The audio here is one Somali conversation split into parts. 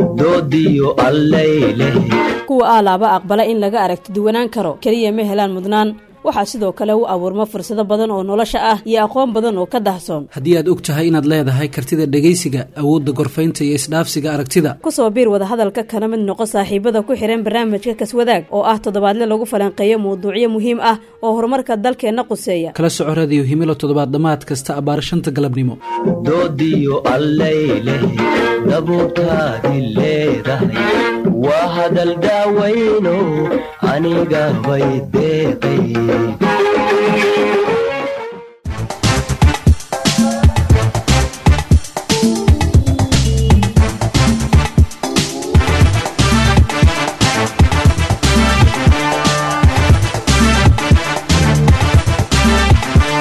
Doodiyo allayleh. Kuwa aalaaba aqbala in laga aragti duwanaan karo keliya ma helaan mudnaan, waxaa sidoo kale u abuurma fursado badan oo nolosha ah iyo aqoon badan oo ka dahsoon. Haddii aad og tahay inaad leedahay kartida dhegaysiga, awoodda gorfaynta iyo isdhaafsiga aragtida, kusoo biir wadahadalka kana mid noqo saaxiibada ku xihan barnaamijka Kaswadaag oo ah toddobaadle lagu falanqeeyo mawduucyo muhiim ah oo horumarka dalkeenna quseeya. Kala soco Radiyo Himilo toddobaad dhammaad kasta abbaar 5ta galabnimo. Doodiyo allayleh, dabuurtaadi leedahay waa hadal daawayno aniga bay deeqay.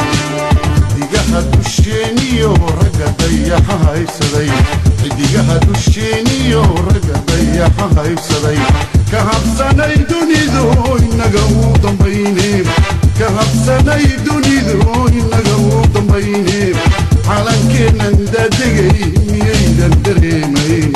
Xidigaha dusheeniyo ragga dayaxa haybsaday, xidigaha dusheeniyo ragga dayaxa haybsaday, ka habsanay dunidu inaga u dambayne, ka habsanay dunidu inaga u dambayne, calankeennan daadegay miyaydan dareemayn?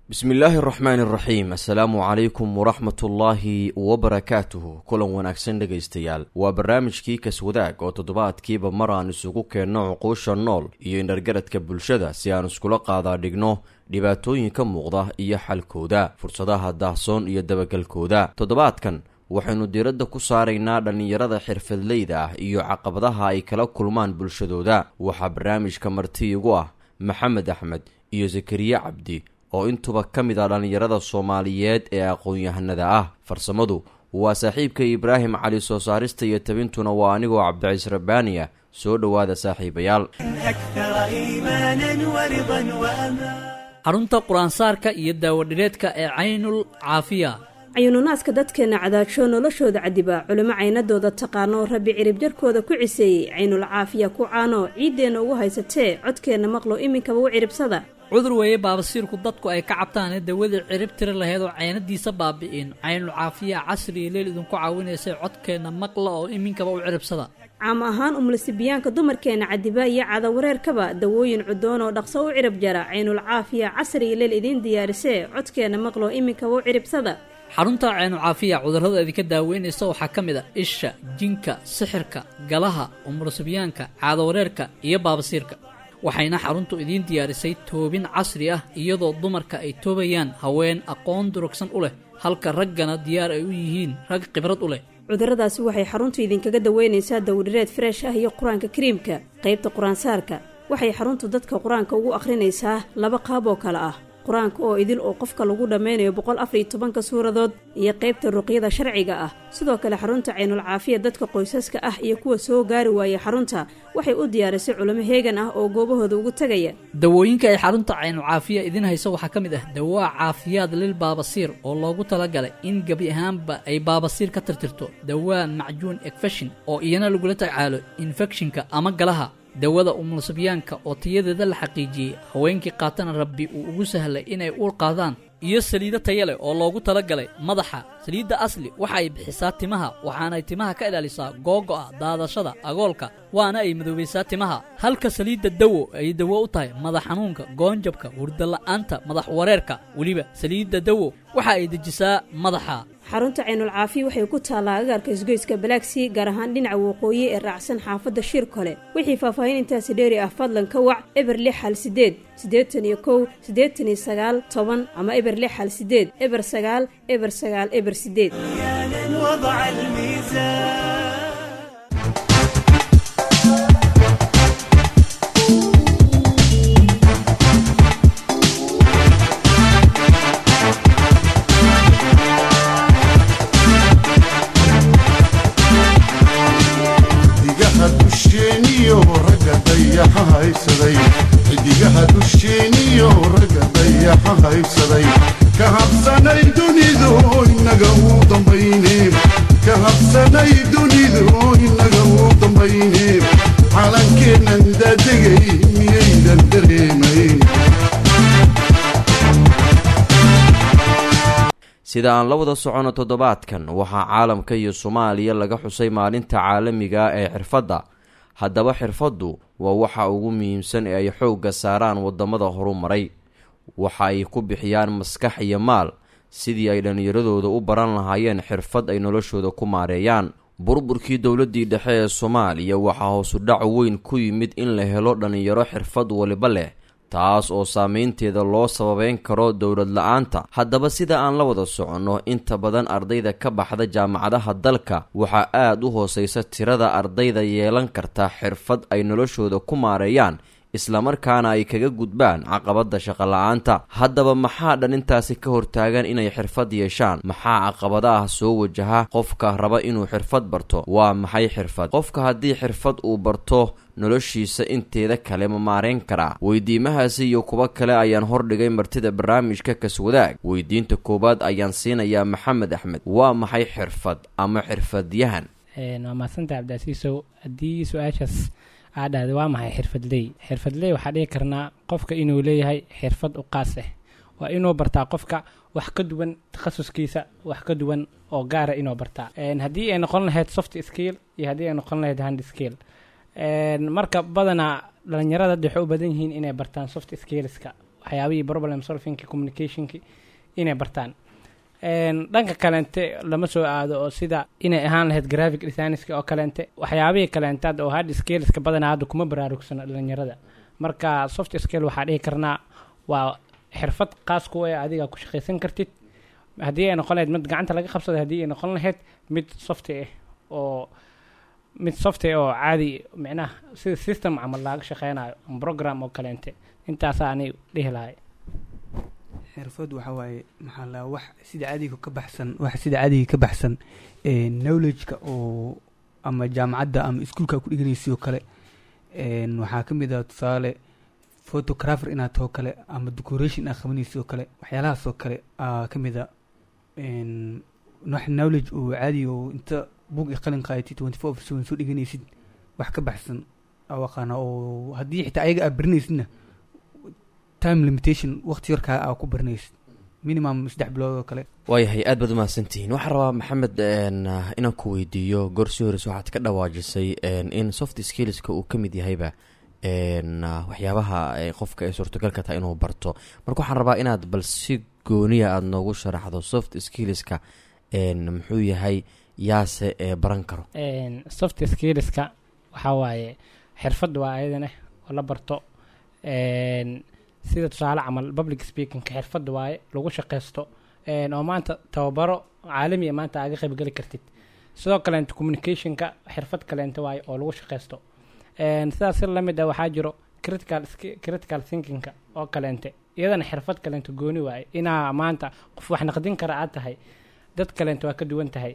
Bismi illaahi araxmaani araxiim. Assalaamu calaykum waraxmatullaahi wabarakaatuhu. Kulan wanaagsan dhegaystayaal, waa barnaamijkii Kaswadaag oo toddobaadkiiba mar aan isugu keenno cuquusha nool iyo indhargaradka bulshada si aan iskula qaadaa dhigno dhibaatooyinka muuqda iyo xalkooda, fursadaha daahsoon iyo dabagalkooda. Toddobaadkan waxaynu diiradda ku saaraynaa dhallinyarada xirfadleyda ah iyo caqabadaha ay kala kulmaan bulshadooda. Waxaa barnaamijka marti igu ah Maxamed Axmed iyo Zakariye Cabdi oo intuba ka mid ah dhallinyarada Soomaaliyeed ee aqoon-yahanada ah. Farsamadu waa saaxiibka Ibraahim Cali, soo saarista iyo tabintuna waa anigoo Cabdiciis Rabbaaniya. Soo dhowaada saaxiibayaal. Xarunta qur-aansaarka iyo daawadhireedka ee Caynul Caafiya. Cayununaaska dadkeenna cadaajo noloshooda cadiba, culimo caynadooda taqaano, Rabbi cirib jarkooda ku ciseeyey, Caynul Caafiya ku caano ciiddeenna ugu haysatee, codkeenna maqlo iminkaba u ciribsada. Cudur weeye baabasiirku dadku ay ka cabtaane, dawadii cirib tiri lahayd oo caynadiisa baabi'in, Caynul Caafiya casri iyo leel idinku caawinaysay, codkeenna maqla oo iminkaba u ciribsada. Caam ahaan umlasibiyaanka dumarkeenna cadiba iyo cadawareerkaba, dawooyin cudoon oo dhaqso u cirib jara, Caynul Caafiya casri iyo leel idiin diyaarisee, codkeenna maqlo iminkaba u ciribsada. Xarunta Caynu Caafiya cudurrada idinka daaweynaysa waxaa ka mid a isha, jinka, sixirka, galaha, umurasibyaanka, caadawareerka iyo baabasiirka. Waxayna xaruntu idiin diyaarisay toobin casri ah, iyadoo dumarka ay toobayaan haween aqoon durugsan u leh, halka raggana diyaar ay u yihiin rag khibrad u leh. Cudurradaasi waxay xaruntu idinkaga daweynaysaa dawdhireed freesh ah iyo qur-aanka kariimka. Qaybta qur-aansaarka waxay xaruntu dadka qur-aanka ugu akhrinaysaa laba qaab oo kale ah: qur-aanka oo idil oo qofka lagu dhammaynayo 114ka suuradood iyo qaybta ruqyada sharciga ah. Sidoo kale xarunta Caynul Caafiya dadka qoysaska ah iyo kuwa soo gaari waaya xarunta waxay u diyaarisay culimo heegan ah oo goobahooda ugu tegaya. Dawooyinka ay xarunta Caynu Caafiya idiin hayso waxaa ka mid ah dawaa caafiyaad lil baabasiir oo loogu talagalay in gebi ahaanba ay baabasiir ka tirtirto, dawaa macjuun ekfeshin oo iyana lagula tacaalo infekshinka ama galaha, dawada umulasibyaanka oo tayadeeda la xaqiijiyey, haweenkii qaatana Rabbi uu ugu sahlay inay uur qaadaan, iyo saliido taya leh oo loogu talagalay madaxa. Saliidda Asli waxa ay bixisaa timaha, waxaanay timaha ka ilaalisaa googo'a, daadashada, agoolka, waana ay madoobaysaa timaha, halka saliidda Dawo ay dawo u tahay madax xanuunka, goonjabka, hurdala'aanta, madax wareerka. Weliba saliidda Dawo waxa ay dejisaa madaxa. Xarunta Caynul Caafiya waxay ku taallaa agaarka isgoyska Balaagsii, gaar ahaan dhinaca waqooyi ee raacsan xaafadda Shir Kole. Wixii faahfaahin intaasi dheeri ah fadlan ka wac 0618 81 89 10 ama 0618 09 09 08. Xidigaha dusheeniyo ragga dayaxa haybsaday, xidigaha dusheeniyo ragga dayaxa haybsaday, ka habsanay dunidu inaga u dambayne, ka habsanay dunidu inaga u dambayne, calankeennan daadegay miyaydan dareemayn? Sida aan la wada socono, toddobaadkan waxaa caalamka iyo Soomaaliya laga xusay maalinta caalamiga ee xirfadda. Haddaba xirfaddu waa waxa ugu muhiimsan ee ay xoogga saaraan waddamada horumaray. Waxa ay ku bixiyaan maskax iyo maal sidii ay dhallinyaradooda u baran lahaayeen xirfad ay noloshooda ku maareeyaan. Burburkii dowladdii dhexe ee Soomaaliya waxaa hoosu dhac weyn ku yimid in la helo dhallinyaro xirfad waliba leh, taas oo saameynteeda loo sababeyn karo dowlad la-aanta. Haddaba sida aan la wada soconno, inta badan ardayda ka baxda jaamacadaha dalka waxaa aada u hooseysa tirada ardayda yeelan karta xirfad ay noloshooda ku maareeyaan, islamarkaana ay kaga gudbaan caqabadda shaqola-aanta. Haddaba maxaa dhalintaasi ka hortaagan inay xirfad yeeshaan? Maxaa caqabadaha soo wajaha qofka raba inuu xirfad barto? Waa maxay xirfad? Qofka haddii xirfad uu barto, noloshiisa inteeda kale ma maareyn karaa? Weydiimahaasi iyo kuwo kale ayaan hordhigay martida barnaamijka Kaswadaag. Weydiinta koowaad ayaan siinayaa Maxamed Axmed. Waa maxay xirfad ama xirfadyahan? Waa mahadsantaha, Cabdiasiisow. Haddii su-aashaas aa dhahday waa maxay xirfadley, xirfadley waxaa dhihi karnaa qofka inuu leeyahay xirfad u qaas ah. Waa inuu bartaa qofka wax ka duwan takhasuskiisa, wax ka duwan oo gaara inuu bartaa, haddii ay noqon lahayd soft skill iyo haddii ay noqon lahayd hard skill. Marka badanaa dhalinyarada hadda waxay u badan yihiin inay bartaan soft skillska, waxyaabihii problem solvingki, communicationki inay bartaan. Dhanka kaleente lama soo aado oo sida inay ahaan lahayd graphic designska oo kaleente, waxyaabihii kaleente hadda oo hard skillska badanaa hadda kuma baraarugsano dhalinyarada. Marka soft skill waxaa dhihi karnaa waa xirfad qaas ku ee adiga ku shaqaysan kartid, haddii ay noqon lahayd mid gacanta laga qabsado, haddii ay noqon lahayd mid soft ah oo mid soft oo caadi, micnaha sida system camal laaga shaqeynayo ama program oo kaleente. Intaasaa ani dhihi lahay. Xirfad waxa waaye, maxaa la, wax sida caadiga ka baxsan, wax sida caadiga ka baxsan knowledge-ka oo ama jaamacadda ama iskuulka ku dhiganaysa oo kale. Waxaa ka mid ah, tusaale, photographer inaad taho kale ama decoration inaad qabanaysa oo kale. Waxyaalahaas oo kale aa ka mid a wax knowledge oo caadi oo inta buug iyo qalin qaadatid 24/7 soo dhiganaysid, wax ka baxsan aa aqaana, oo haddii xitaa ayaga aad baranaysidna time limitation, waqti yarkaa aa ku baranaysid, minimum 3 bilood oo kale. Waayahay, aad baad umahadsantihiin. Waxaan rabaa, Maxamed, inaan ku weydiiyo. Goor sii horeyse waxaad ka dhawaajisay in soft skillska uu ka mid yahayba waxyaabaha qofka ay suurtagalka tahay inuu barto. Marka waxaan rabaa inaad bal si gooniya aada noogu sharaxdo soft skillska muxuu yahay, yaase ee baran karo. Soft skillska waxaa waaye xirfad waa ayadana oo la barto, sida tusaale camal public speakingka xirfad waaye lagu shaqeysto, oo maanta tababaro caalami ah maanta aaga qaybgeli kartid. Sidoo kaleente communicationka xirfad kaleente waaye oo lagu shaqeysto. Sidaas si lamid ah waxaa jiro critical thinkingka oo kaleente, iyadana xirfad kaleente gooni waaye, inaa maanta qof wax naqdin kara aad tahay, dad kaleente waa ka duwan tahay.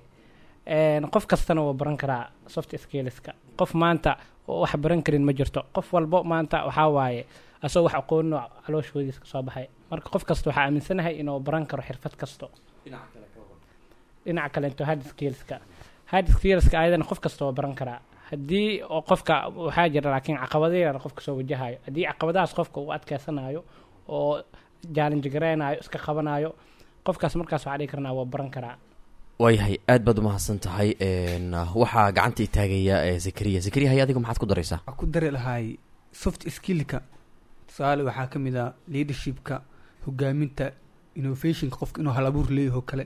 Qof kastana wuu baran karaa soft skillska. Qof maanta oo wax baran karin ma jirto. Qof walbo maanta waxaa waaye asagoo wax aqoonno calooshoodiis ka soo baxay. Marka qof kasta waxaa aaminsanahay inuu baran karo xirfad kasto. Dhinaca kaleento hard skillska, hard skillska ayadana qof kasta waa baran karaa haddii oo qofka waxaa jira, laakiin caqabado yar qofka soo wajahayo. Haddii caqabadahaas qofka uu adkeysanayo oo challenge gareynayo, iska qabanayo qofkaas, markaas waxaa dhihi karnaa waa baran karaa. Waayahay, aad baad umahadsan tahay. Waxaa gacanta itaagaya Zakariya. Zakariya, hay, adiga maxaad ku daraysaa? Waxaa ku dari lahay soft skillka, tusaale, waxaa ka mid ah leadershipka, hogaaminta, innovationka, qofka inuu hal abuur leeyaho kale,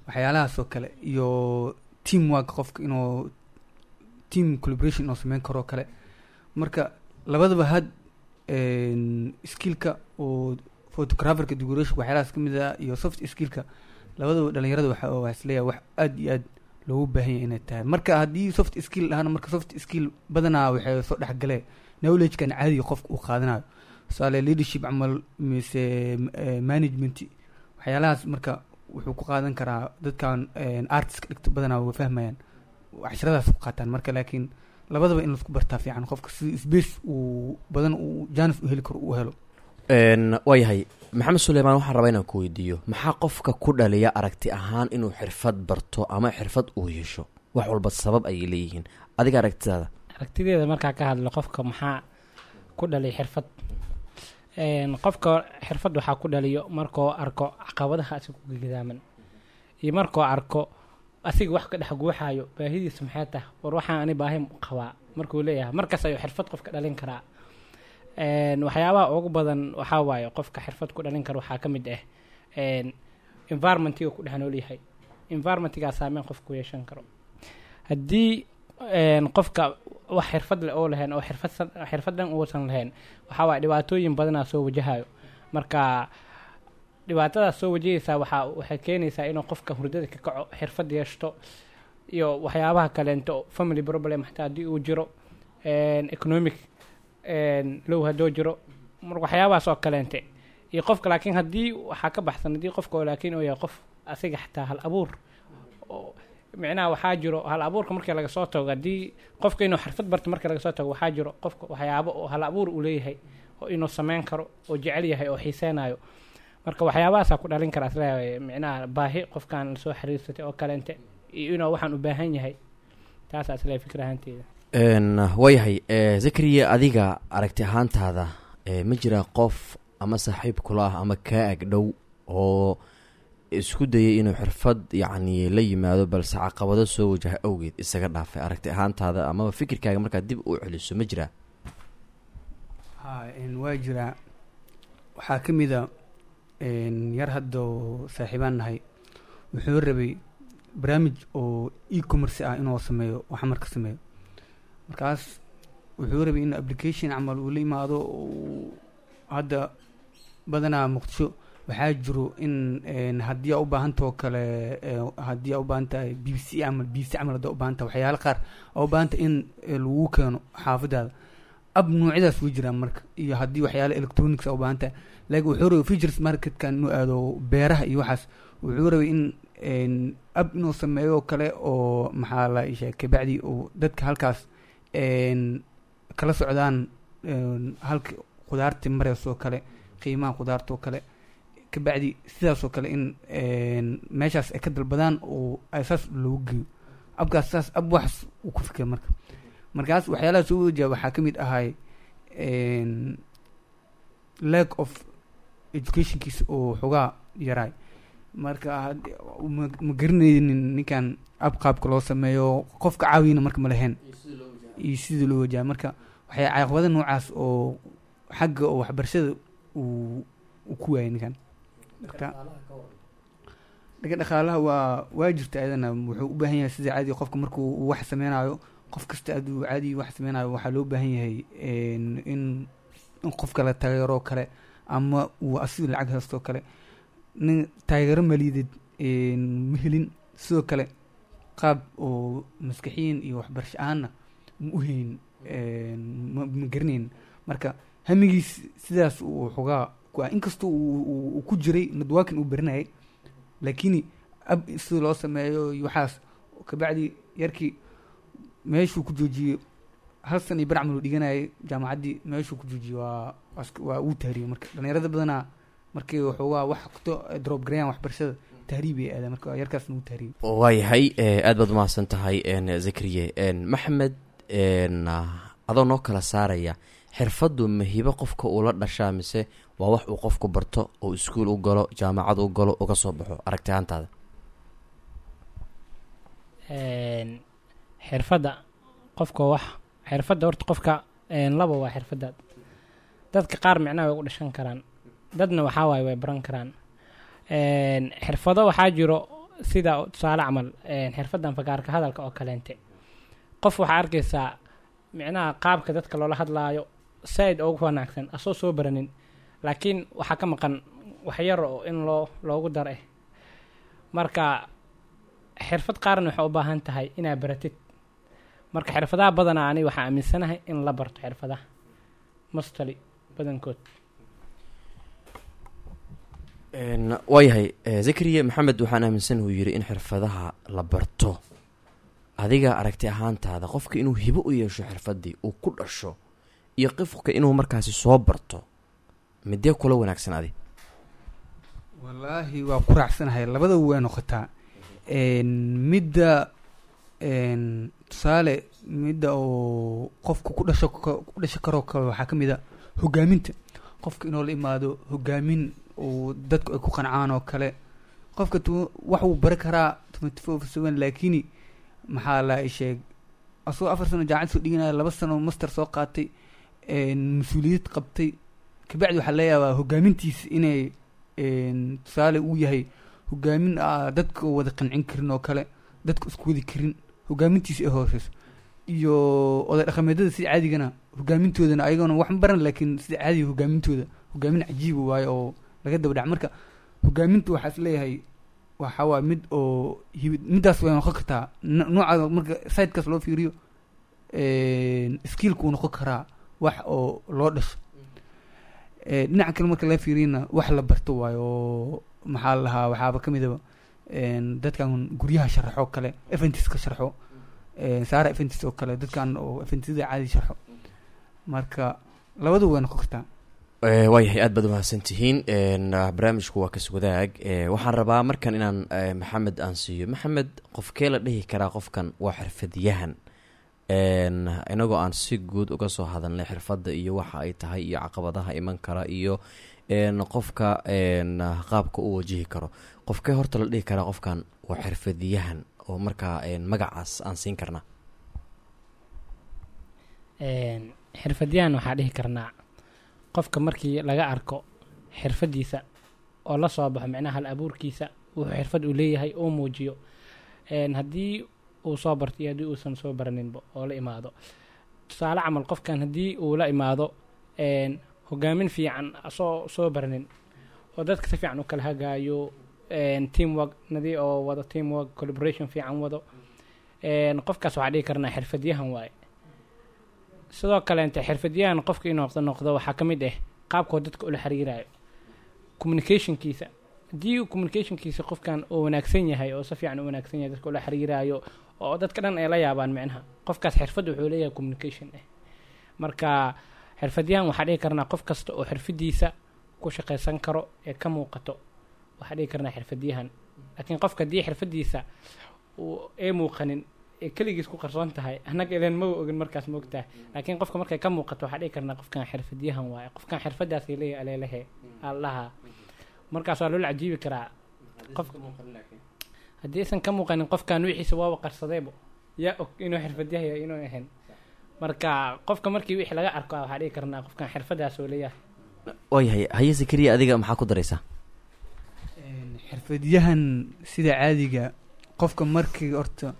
waxyaalahaas oo kale, iyo teamwork, qofka inuu team collaboration inuu sameyn karo kale. Marka labadaba hard skillka oo photographerka, decoration, waxyaalahaas ka mid ah, iyo soft skillka, labadaba dhalinyarada waxa isleeyahay wax aad iyo aad loogu baahan yahay inay tahay. Marka haddii soft skill dhahana, marka soft skill badanaa waxay soo dhexgalee knowledge-kan caadiga qofka uu qaadanayo, tusaale leadership camal mise management, waxyaalahaas. Marka wuxuu ku qaadan karaa dadkan artist dhigto badanaa way fahmayaan, casharadaas ku qaataan. Marka laakiin labadaba in laisku bartaa fiican, qofka si space uu badan uu chance u heli karo uu helo. Waayahay, Maxamed Suleymaan, waxaan rabaa inaan ku weydiiyo: maxaa qofka ku dhaliya aragti ahaan inuu xirfad barto ama xirfad uu yeesho? Wax walba sabab ayay leeyihiin. Adiga aragtidaada? Aragtideeda markaa ka hadlo, qofka maxaa ku dhaliya xirfad? Qofka xirfad waxaa ku dhaliyo markuu arko caqabadaha asiga ku gidaaman iyo markuu arko asiga wax ka dhex guuxayo, baahidiisa maxay tahay. War, waxaan ani baahi qabaa. Markuu leeyahay markaas ayuu xirfad qofka dhalin karaa. Waxyaabaha ugu badan waxaa waaye qofka xirfad ku dhalin kara waxaa ka mid ah environmentiga ku dhex nool yahay. Environmentigaa saameyn qofka ku yeeshan karo. Haddii qofka wax xirfad leh oo lahayn oo xirfad dhan uusan lahayn, waxaa waaye dhibaatooyin badanaa soo wajahayo. Marka dhibaatadaas soo wajahaysaa waxay keenaysaa inuu qofka hurdada ka kaco, xirfad yeeshto iyo waxyaabaha kaleento, family problem xataa haddii uu jiro, economic low hadduu jiro, marka waxyaabahaas oo kaleente iyo qofka. Laakiin haddii waxaa ka baxsan, haddii qofka oo laakiin uu yahay qof asiga xataa hal abuur oo micnaha waxaa jiro hal abuurka markii laga soo tago, haddii qofka inuu xirfad barto markii laga soo tago, waxaa jiro qofka waxyaabo oo hal abuur uu leeyahay oo inuu sameyn karo oo jecel yahay oo xiiseynayo. Marka waxyaabahaasaa ku dhalin kara isleeyahay, micnaha baahi qofkaan lasoo xiriirsatay oo kaleente iyo inuu waxaan u baahan yahay. Taasaa isleeyahay fikir ahaanteyda. Waayahay Zakariya, adiga aragti ahaantaada, ma jiraa qof ama saaxiib kula ah ama kaa ag dhow oo isku dayay inuu xirfad yacni la yimaado, balse caqabado soo wajaha awgeed isaga dhaafay? Aragti ahaantaada amaba fikirkaaga markaad dib u celiso, ma jiraa? Ha, waa jiraa. Waxaa ka mid a yar hadda oo saaxiibaan nahay, wuxuu rabay barnaamij oo e-commerce ah inuu sameeyo oo xamar ka sameeyo. Markaas wuxuu rabay in application camal uu la imaado oo hadda badanaa Muqdisho waxaa jiro in haddii aa u baahantao kale, haddii aa u baahan tahay BBC camal, BC camal haddaa u baahan tahay, waxyaalo qaar aa u baahan tahay in lagu keeno xaafadaada, ab noocyadaas way jiraan. Marka iyo haddii waxyaalo electronics aa u baahan tahay, laakiin wuxuu rabay futures marketkan inuu aado, beeraha iyo waxaas. Wuxuu rabay in ab inuu sameeyo kale oo maxaa la isheeg, kabacdi uu dadka halkaas kala socdaan halka khudaarta mareyso kale, qiimaha khudaarta oo kale, kabacdi sidaas oo kale in meeshaas ay ka dalbadaan oo ay saas loogu geeyo abkaas. Saas ab waxaas uu ku fikira. Marka markaas waxyaalaha soo wajaha waxaa ka mid ahay lack of educationkiisa oo xogaa yaraay. Marka ma garanaynin ninkan ab qaabka loo sameeyo, qofka caawiyana marka ma lahayn iyo sidii loo wajaha. Marka waxay caqabada noocaas oo xagga oo waxbarashada uu ku waayay ninkan. Marka dhanka dhaqaalaha waa jirta ayadana. Wuxuu u baahan yahay sida caadi qofka markuu uu wax sameynayo, qof kasta aduu caadi wax sameynayo, waxaa loo baahan yahay in qofka la taageero kale ama uu asiga lacag haysto kale. Nin taageero maliyadeed ma helin, sidoo kale qaab oo maskaxiyin iyo waxbarasho ahaanna ma u helin, ma garanayn. Marka hamigiis sidaas uu xogaa ku ah, inkastoo uu ku jiray networking uu baranayay, laakiin ab sida loo sameeyo iyo waxaas kabacdi yarkii meeshuu ku joojiyey. Hal san iyo bar camal uu dhiganayay jaamacaddii, meeshuu ku joojiyey waa uu tahriyey. Marka dhalinyarada badanaa markay waxoogaa wax kuto drop gareeyaan waxbarashada, tahriib ay aadaan. Marka yarkaasna uu tahriyey. Waayahay, aad baad umahadsan tahay Zakariye. Maxamed, adoo noo kala saaraya, xirfaddu ma hibo qofka uu la dhashaa mise waa wax uu qofku barto oo iskuul u galo, jaamacad u galo, uga soo baxo, aragti ahaantaada? Xirfadda qofka, wax xirfadda horta qofka laba waa xirfadda. Dadka qaar micnaha way u dhashan karaan, dadna waxaa waaye way baran karaan. Xirfado waxaa jiro sida tusaale camal xirfaddan fagaarka hadalka oo kaleente. Qof waxaa arkaysaa micnaha qaabka dadka loola hadlaayo saaid ugu wanaagsan asoo soo baranin, laakiin waxaa ka maqan wax yar oo in loogu dar eh. Marka xirfad qaarna waxay u baahan tahay inaad baratid. Marka xirfadaha badanaa ani waxaa aaminsanahay in la barto xirfadaha mostly badankood. Waayahay Zakariya, Maxamed waxaan aaminsan uu yidhi in xirfadaha la barto. Adiga aragti ahaantaada, qofka inuu hibo u yeesho xirfaddii uu ku dhasho iyo qofka inuu markaasi soo barto, midee kula wanaagsan adi? Wallaahi waa ku raacsanahay, labadaba way noqotaa. Midda tusaale midda oo qofka ku dhasho ku dhasho karoo kale waxaa ka mid a hogaaminta. Qofka inuu la imaado hogaamin uu dadku ay ku qancaan oo kale. Qofka wax wuu bari karaa 24/7, laakini maxaa la sheeg Asagoo 4 sano jaamacad soo dhiganaya, 2 sano master soo qaatay, mas-uuliyad qabtay, kabacdi waxaa laga yaabaa hogaamintiisa inay tusaale uu yahay hogaamin dadka wada qancin karin oo kale, dadka isku wadi karin, hogaamintiisa ay hooseyso. Iyo oday dhaqameedyada sida caadigana hogaamintoodana ayagona wax ma baran, laakiin sida caadiga hogaamintooda hogaamin cajiiba waayo oo laga daba dhac. Marka hogaaminta waxaa is leeyahay waxa waa mid oo hibid, midaas way noqon kartaa nooca. Marka sidekaas loo fiiriyo, skillku uu noqon karaa wax oo loo dhasho. Dhinaca kale marka laga fiiriyana, wax la barto waayo oo maxaa la lahaa, waxaaba ka midaba dadkan guryaha sharaxo kale, events ka sharxo, saara events oo kale, dadkan oo eventyada caadi sharxo. Marka labadu way noqon kartaa. Waayahay, aad baad umahadsan tihiin. Barnaamijku waa kas wadaag. Waxaan rabaa markan inaan Maxamed aan siiyo. Maxamed, qofkee la dhihi karaa qofkan waa xirfadyahan? Inagoo aan si guud uga soo hadalnay xirfadda iyo waxa ay tahay iyo caqabadaha iman kara iyo qofka qaabka u wajihi karo, qofkee horta la dhihi karaa qofkan waa xirfadyahan oo markaa magacaas aan siin karnaa? Xirfadyahan waxaa dhihi karnaa qofka markii laga arko xirfadiisa oo la soo baxo, micnaha hal abuurkiisa, wuxuu xirfad uu leeyahay uu muujiyo. Haddii uu soo barto iyo haddii uusan soo baraninba oo la imaado. Tusaale camal, qofkan haddii uu la imaado hogaamin fiican asoo soo baranin oo dadka si fiican u kala hagaayo, teamwork nadi oo wado, teamwork collaboration fiican wado, qofkaas waxaa dhihi karnaa xirfadyahan waaye. Sidoo kaleente xirfadyahan qofka inuu noqdo waxaa ka mid ah qaabkoo dadka ula xiriirayo, communicationkiisa. Haddii uu communicationkiisa qofkan uu wanaagsan yahay oo si fiican u wanaagsan yahay, dadka ula xiriirayo oo dadka dhan ay la yaabaan, micnaha qofkaas xirfad wuxuu leeyahay communication ah. Marka xirfadyahan waxaa dhihi karnaa qof kasta oo xirfadiisa ku shaqaysan karo ee ka muuqato, waxaa dhihi karnaa xirfadyahan. Laakiin qofka haddii xirfadiisa uu ee muuqanin ee keligiis ku qarsoon tahay, annaga ileen maba ogin markaas, moogtahay. Laakiin qofka markay ka muuqato, waxaa dhihi karnaa qofkan xirfadyahan waaye, qofkan xirfadaas leeyahay aleelehe allaha. Markaas waa loola cajiibi karaa. Qof haddii aysan ka muuqanin, qofkan wixiisa waaba qarsadeebo, yaa og inuu xirfadyahay yahay inuu ahayn? Marka qofka markii wixii laga arko, waxaa dhihi karnaa qofkan xirfadaas oo leeyahay. Waayahay, haye Zakariya, adiga maxaa ku daraysaa? Xirfadyahan sida caadiga qofka markii horta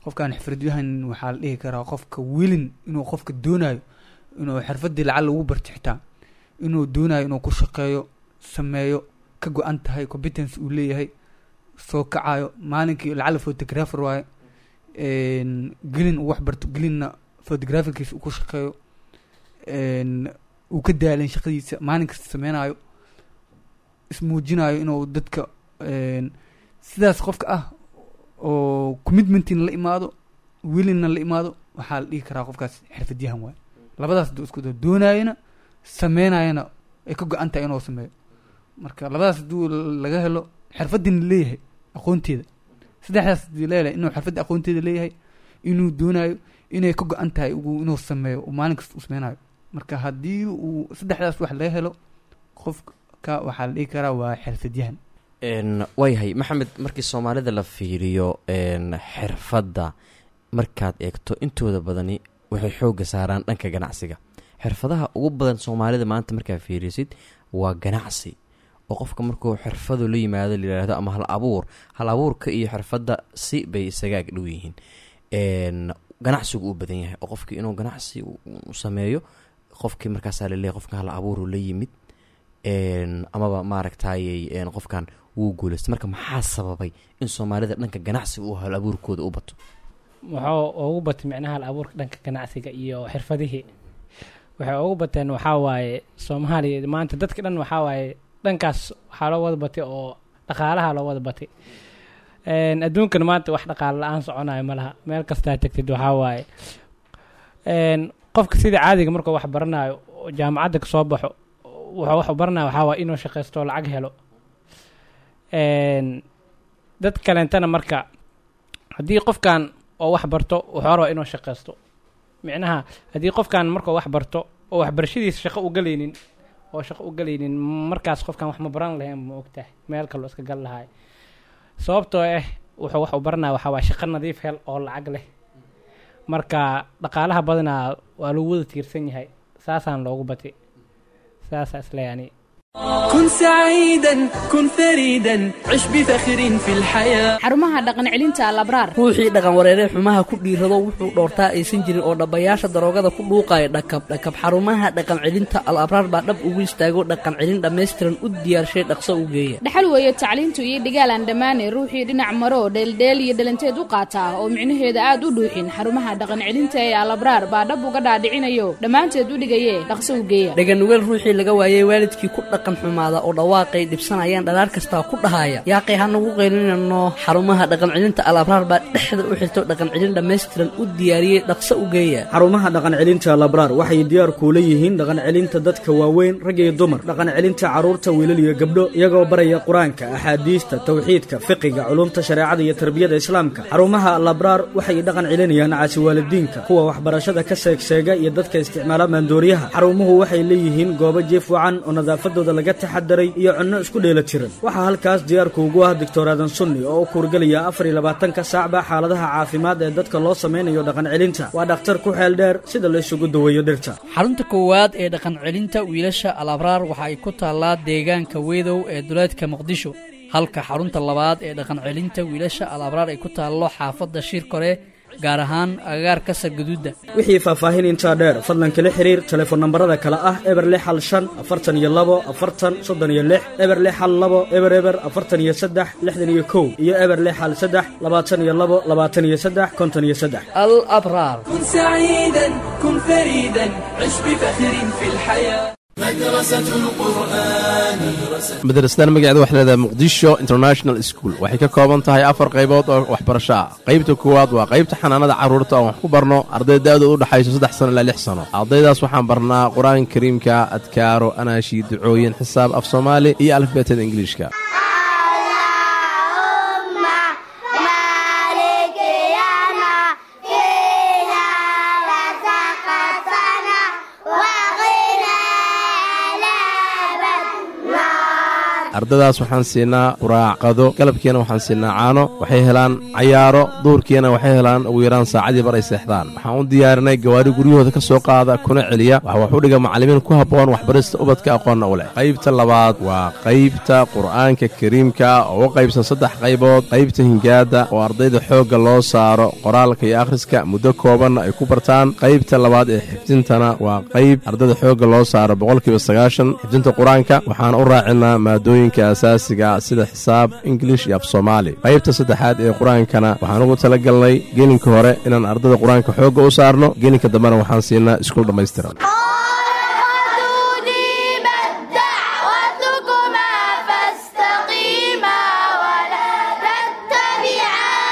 qofkan xirfadyahan waxaa la dhihi karaa qofka wilin inuu qofka doonayo inuu xirfadii lacag lagu barto, xitaa inuu doonayo inuu ku shaqeeyo, sameeyo, ka go-an tahay, competence uu leeyahay, soo kacayo maalinkii. Lacala photographer waaye, gelin uu wax barto, gelinna photographerkiisa uu ku shaqeeyo, uu ka daalin shaqadiisa, maalin kasta sameynayo, ismuujinayo inuu dadka sidaas qofka ah oo commitmentina la imaado, wilinna la imaado, waxaa la dhihi karaa qofkaas xirfadyahan waaye. Labadaas hadduu isku daro, doonayana sameynayana, ay ka go-an tahay inuu sameeyo, marka labadaas hadduu laga helo, xirfadina leeyahay aqoonteeda, saddexdaas hadii leeyahay, inuu xirfadda aqoonteeda leeyahay, inuu doonayo, inay ka go-an tahay inuu sameeyo, uu maalin kasta uu sameynayo, marka haddii uu saddexdaas wax laga helo qofka, waxaa la dhihi karaa waa xirfadyahan. Waayahay Maxamed, markii Soomaalida la fiiriyo, xirfadda markaad eegto, intooda badani waxay xoogga saaraan dhanka ganacsiga. Xirfadaha ugu badan Soomaalida maanta markaad fiirisid waa ganacsi, oo qofka markuu xirfadu la yimaado la yidhaahdo ama hal abuur, hal abuurka iyo xirfadda si bay isaga ag dhow yihiin. Ganacsigu uu badan yahay oo qofkii inuu ganacsi u sameeyo, qofkii markaasaa laleeyahay qofka hal abuuru la yimid, amaba maaragtayey qofkan wuu guuleystay. Marka maxaa sababay in Soomaalida dhanka ganacsiga uu hal abuurkooda u bato? Wuxuu ugu batay micnaha hal abuurka dhanka ganacsiga iyo xirfadihii waxay ugu bateen waxaa waaye Soomaaliya maanta dadka dhan waxaa waaye dhankaas waxaa loo wada batay oo dhaqaalaha loo wada batay. Adduunkan maanta wax dhaqaale la-aan soconayo ma laha. Meel kastaa tagtid waxaa waaye qofka sida caadiga markuu wax baranayo oo jaamacadda kasoo baxo, wuxuu wax u baranaya waxaa waaye inuu shaqaysto oo lacag helo. Dad kaleentana marka haddii qofkan oo wax barto, wuxuu rabaa inuu shaqaysto. Micnaha haddii qofkan markuu wax barto oo waxbarashadiisa shaqo u galaynin oo shaqo u galaynin, markaas qofkan wax ma baran lahayn, ma ogtahay, meel kaloo iska gal lahaay. Sababtoo ah wuxuu wax u baranaya waxaa waa shaqo nadiif hel oo lacag leh. Marka dhaqaalaha badanaa waa lagu wada tiirsan yahay, saasaan loogu batay, saasaa isle yani. كن سعيدا، كن فريدا، عش بفخر في الحياة. Xarumaha dhaqan celinta Alabraar. Ruuxii dhaqan wareeree xumaha ku dhiirado, wuxuu dhoortaa aysan jirin oo dhabbayaasha daroogada ku dhuuqaya dhakab dhakab, xarumaha dhaqan celinta Al Abraar baa dhab ugu istaago, dhaqan celin dhammaystiran u diyaarshay, dhaqso u geeya. Dhaxal weeye tacliintu iyo dhigaal aan dhammaanay, ruuxii dhinac maro dheeldheel iyo dhalanteed u qaataa oo micnaheeda aad u dhuuxin, xarumaha dhaqan celinta ee Alabraar baa dhab uga dhaadhicinayo, dhammaanteed u dhigaye, dhaqso u geeya. Dhaganugeel ruuxii laga waayey waalidkii ku dhaqan xumaada oo dhawaaqay dhibsanayaan dhalaar kastaa ku dhahaya, yaaqay hanagu qaylinano, xarumaha dhaqan celinta Al Abraar baa dhexda u xirto, dhaqan celin dhammaystiran u diyaariyey, dhaqso u geeya. Xarumaha dhaqan celinta Labraar waxay diyaar kuula yihiin dhaqan celinta dadka waaweyn, rag iyo dumar, dhaqan celinta carruurta, wiilal iyo gabdho, iyagoo baraya Qur-aanka, axaadiista, tawxiidka, fiqiga, culumta shareecada iyo tarbiyada Islaamka. Xarumaha Labraar waxay dhaqan celinayaan caasiwaalidiinka, kuwa waxbarashada ka seegseega iyo dadka isticmaala maandooriyaha. Xarumuhu waxay leeyihiin goobo jiif wacan oo nadaafadooda laga taxadaray iyo cunno isku dheela tiran. Waxaa halkaas diyaarku ugu ah Doctor Aadan Sunni oo u kuurgelaya 24-ka saacba xaaladaha caafimaad ee dadka loo samaynayo dhaqan celinta. Waa dhakhtar ku xeel dheer sida la isugu daweeyo dhirta. Xarunta koowaad ee dhaqan celinta wiilasha Al Abraar waxa ay ku taallaa deegaanka Weedow ee duleedka Muqdisho, halka xarunta labaad ee dhaqan celinta wiilasha Al Abraar ay ku taallo xaafadda Shiirkore, gaar ahaan agagaarka Sargaduudda. Wixii faahfaahin intaa dheer, fadlan kala xiriir telefoon nambarada kale ah 0615 42 40 36, 0612 00 43 61 iyo 0613 22 23 53. Al Abraar. كن سعيدا، كن فريدا، عش بفخر في الحياة. Madrasadan magaceeda waxay leedahay Muqdisho International School. Waxay ka kooban tahay afar qaybood oo waxbarasho ah. Qaybta koowaad waa qaybta xanaanada carruurta oo wax ku barno arday da'doodu u dhexayso 3 sano ilaa 6 sano. Ardaydaas waxaan barnaa Qur-aanka Kariimka, adkaaro, anaashi, ducooyin, xisaab, af Soomaali iyo alifbeetada Ingiliishka. Ardadaas waxaan siinaa quraac, qado, galabkiina waxaan siinaa caano. Waxay helaan cayaaro, duurkiina waxay helaan ugu yaraan saacadii bar ay seexdaan. Waxaan u diyaarinay gawaari guryahooda ka soo qaada kuna celiya. Waxa wax u dhiga macallimiin ku habboon waxbarista ubadka, aqoonna u leh. Qaybta labaad waa qaybta Qur'aanka Kariimka oo u qaybsan saddex qaybood: qaybta hingaadda oo ardayda xoogga loo saaro qoraalka iyo akhriska, muddo koobanna ay ku bartaan; qaybta labaad ee xifdintana waa qayb ardayda xoogga loo saaro 90% xifdinta Qur-aanka, waxaan u raacinaa maadooyinka asaasiga sida xisaab, Ingilish iyo af Soomaali; qaybta saddexaad ee Qur-aankana waxaan ugu talagalnay gelinka hore inaan ardayda Qur-aanka xoogga u saarno, gelinka dambena waxaan siinaa iskuul dhammaystiran. دعوتكما فاستقيما ولا تتبعان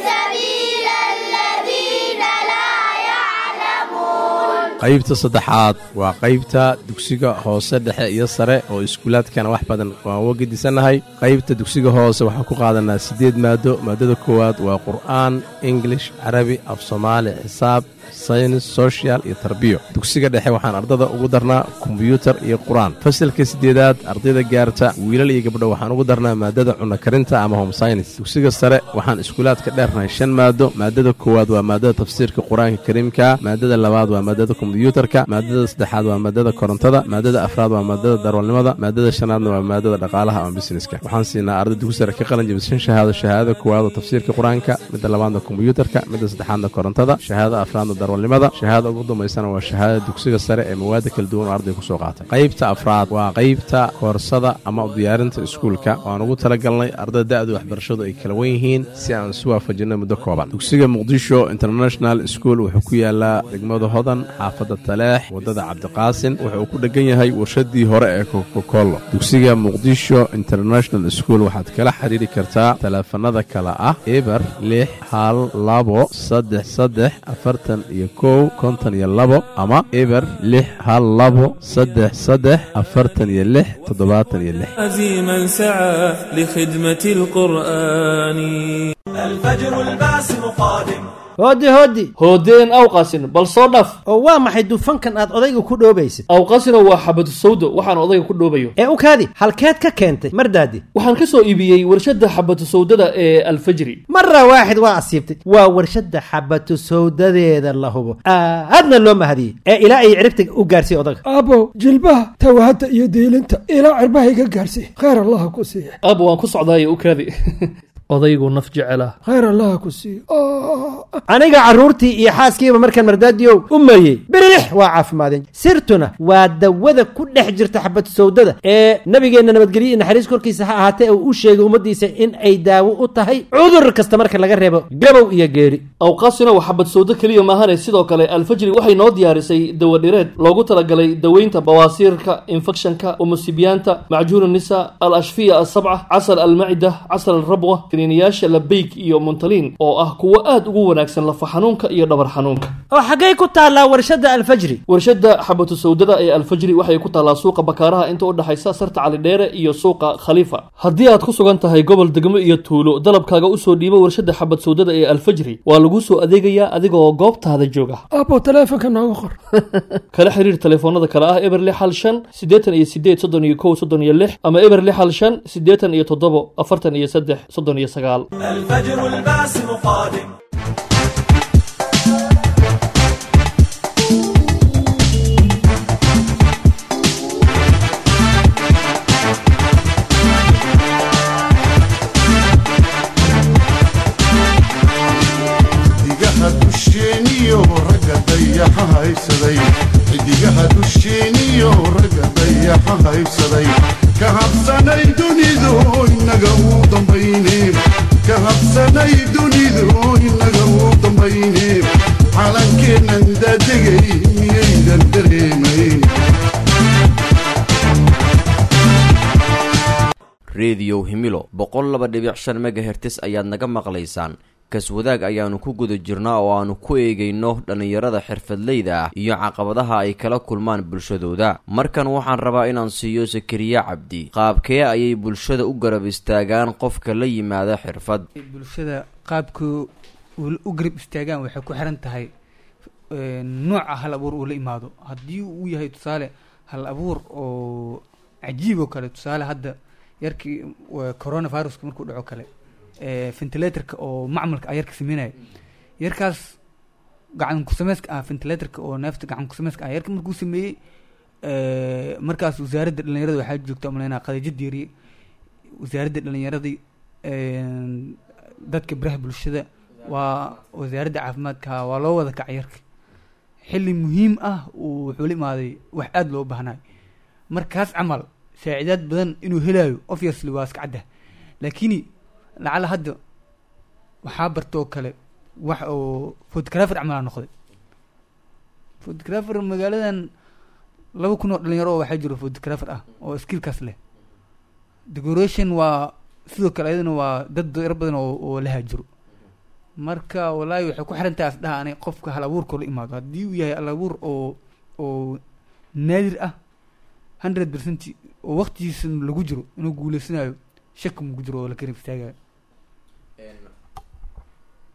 سبيل الذين لا يعلمون. Qaybta saddexaad waa qaybta dugsiga hoose, dhexe iyo sare oo iskuulaadkana wax badan waan uga gedisannahay. Qaybta dugsiga hoose waxaan ku qaadanaa siddeed maado. Maadada koowaad waa Qur'aan, English, Carabi, af Soomaali, xisaab, saynis, social iyo tarbiyo. Dugsiga dhexe waxaan ardada ugu darnaa kombyuutar iyo Qur-aan. Fasalka siddeedaad ardayda gaarta, wiilal iyo gabdho, waxaan ugu darnaa maadada cunno karinta ama home science. Dugsiga sare waxaan iskuulaadka dheernahay shan maado. Maadada koowaad waa maadada tafsiirka Qur-aanka Kariimka, maadada labaad waa maadada kombyuutarka, maadada saddexaad waa maadada korontada, maadada afraad waa maadada darwalnimada, maadada shanaadna waa maadada dhaqaalaha ama businesska. Waxaan siinaa arday dugsi sare ka qalin jabisay shan shahaado: shahaadada koowaad oo tafsiirka Qur-aanka, midda labaadna kombyuutarka, midda saddexaadna korontada, shahaadada afraadna darwalnimada, shahaada ugu dambaysana waa shahaadada dugsiga sare ee mawaada kala duwan oo arday kusoo qaatay. Qaybta afraad waa qaybta koorsada ama u diyaarinta iskuulka oo aan ugu talagalnay ardayda da'du waxbarashadu ay kala wen yihiin si aan isu waafajinno muddo kooban. Dugsiga Muqdisho International School wuxuu ku yaalaa degmada Hodan, xaafadda Taleex, waddada Cabdiqaasin. Wuxuu ku dhegan yahay warshadii hore ee Kokokolo. Dugsiga Muqdisho International School waxaad kala xiriiri kartaa taleefanada kale ah 0612 33 41 52 ama 0612 33 46 76. عزيما سعى لخدمة القرآن. الفجر الباسم قادم. Hoodi hoodi. Hoodeen awqaasin, bal soo dhaf. Oo waa maxay dufankan aad odayga ku dhoobaysid? Awqaasina waa xabadu sawdo waxaan odayga ku dhoobayo. Ee u kaadi, halkeed ka keentay mardaadi? Waxaan ka soo iibiyey warshadda xabatu sawdada ee Alfajri. Mara waaxid waa asiibtay. Waa warshadda xabatu sawdadeeda la hubo, aadna loo mahadiyey ee ilaa ay ciribta u gaarsiiy odaga. Aabow, jilbaha tawahadda iyo diilinta ilaa cirbaha iga gaarsiiy, khayr Allaha ku siiya. Aabo, waan ku socdaaye u kaadi, odaygu naf jecela. Khayr Allaha ku siiyo. Aniga carruurtii iyo xaaskiiba markaan mardaadiyow u mariyey, birilix waa caafimaadeen. Sirtuna waa dawada ku dhex jirta xabad sawdada ee nabigeenna nabadgelyo iyo naxariis korkiisa ha ahaatee uu u sheegay ummaddiisa in ay daawo u tahay cudur kasta marka laga reebo gabow iyo geeri. Awqaasina waa xabad sawdo keliya maahane, sidoo kale Alfajri waxay noo diyaarisay dawadhireed loogu talagalay daweynta bawaasiirka, infekshanka, umusibiyaanta, macjuun nisa, al ashfiya asabca, casal almacida, casal alrabwa, kaniiniyaasha Labeyk iyo Muntaliin oo ah kuwo aad ugu wanaagsan lafa xanuunka iyo dhabar xanuunka. Oo xaggay ku taallaa warshadda Alfajri? Warshadda xabatu sawdada ee Alfajri waxay ku taallaa suuqa Bakaaraha, inta u dhexaysa Sarta Calidheere iyo suuqa Khaliifa. Haddii aad ku sugan tahay gobol, degmo iyo tuulo, dalabkaaga usoo dhiibo warshadda xabad sawdada ee Alfajri, waa lagu soo adeegayaa adigoo goobtaada jooga. Aabow, taleefonka nooga qor. Kala xiriir taleefoonada kale ah 065 88 31 36 ama 065 87 43 39. الفجر الباسم قادم. Xidigaha dusheeniyo ragga dayaxa haysaday, xidigaha dusheeniyo ragga dayaxa haybsaday, ka habsanay dunidu inaga u dambayne, ka habsanay dunidu inaga u dambayne, calankeennan daadegay miyaydan dareemayn? Rediyo Himilo 102.5 megahertz ayaad naga maqlaysaan. Kaswadaag ayaanu ku guda jirnaa oo aanu ku eegayno dhallinyarada xirfadleyda ah iyo caqabadaha ay kala kulmaan bulshadooda. Markan waxaan rabaa inaan siiyo Sakariya Cabdi. Qaabkee ayay bulshada u garab istaagaan qofka la yimaada xirfad? Bulshada qaabka u garab istaagaan waxay ku xiran tahay nooca hal abuur uu la imaado. Haddii uu yahay tusaale hal abuur oo cajiib oo kale, tusaale hadda yarkii coronaviruska markuu dhaco kale, ventilatorka oo macmalka ah yarka sameynaya, yarkaas gacan kusameyska ah, ventilatorka oo neefta gacan kusameyska ah yarka markuu sameeyey, markaas wasaaradda dhalinyarada waxaa joogta umaleynaa Khadiijo Diiriye. Wasaaradda dhalinyarada, dadka baraha bulshada, waa wasaaradda caafimaadka, waa loo wada kacay. Yarka xilli muhiim ah uu wuxuu la imaaday wax aada loo baahnayo. Markaas camal saacidaad badan inuu helayo obviously waa iska cadda. Laakiin lacala hadda waxaa bartoo kale wax oo photographer camal aa noqday photographer, magaaladan 2000 oo dhalinyaro oo waxaa jiro photographer ah oo skillkaas leh. Decoration waa sidoo kale, ayadana waa dad yar badan oo lahaa jiro. Marka wallaahi waxay ku xiran tahay asdhaha ani qofka hal abuurka la imaado. Haddii uu yahay hal abuur oo naadir ah, 100% oo waqtigiisa lagu jiro inuu guuleysanayo shaki mugu jiro oo la garab istaagayo.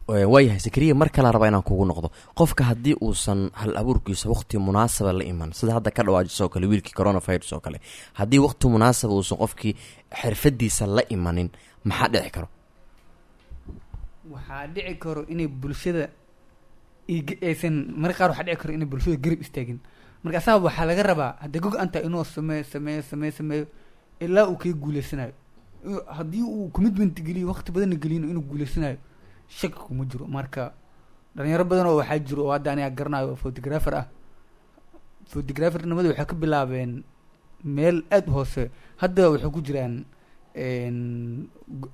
Waayahay Sakariya, mar kalaa rabaa inaan kugu noqdo. Qofka haddii uusan hal abuurkiisa waqti munaasaba la iman, sida hadda ka dhawaajiso oo kale wiilkii coronavirus oo kale, haddii waqti munaasaba uusan qofkii xirfadiisa la imanin, maxaa dhici karo? Waxaa dhici karo inay bulshada aysan, marka qaar waxaa dhici karo inay bulshada garab istaagin. Marka asaga waxaa laga rabaa hadday ka go-an tahay inuu sameeyo, sameeyo, sameeyo, sameeyo ilaa uu kaga guuleysanayo. Haddii uu commitment geliyo, waqti badanna geliyno, inuu guuleysanayo shaki kuma jiro. Marka dhalinyaro badan oo waxaa jiro oo hadda aniga garanayo oo photographer ah, photographernimada waxay ka bilaabeen meel aada u hoose, hadda waxay ku jiraan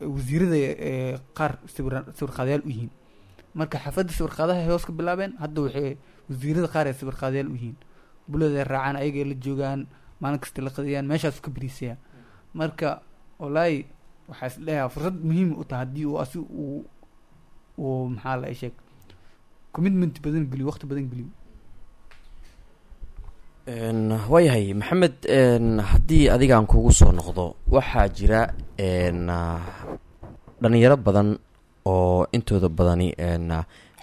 wasiirada qaar sawir qaadayaal u yihiin. Marka xafadda sawir qaadaha ay hoos ka bilaabeen, hadda waxay wasiirada qaar ay sawir qaadayaal u yihiin, bulada ay raacaan, ayagay la joogaan, maalin kasta la qadiyaan, meeshaas ka bariisayaan. Marka wallaahi waxaa is leeyahay fursad muhiim u tahay haddii uu asi uu maxaa la sheeg commitment badan geliyo, waqti badan geliyo. Waayahay Maxamed, haddii adigaan kugu soo noqdo, waxaa jira dhalinyaro badan oo intooda badani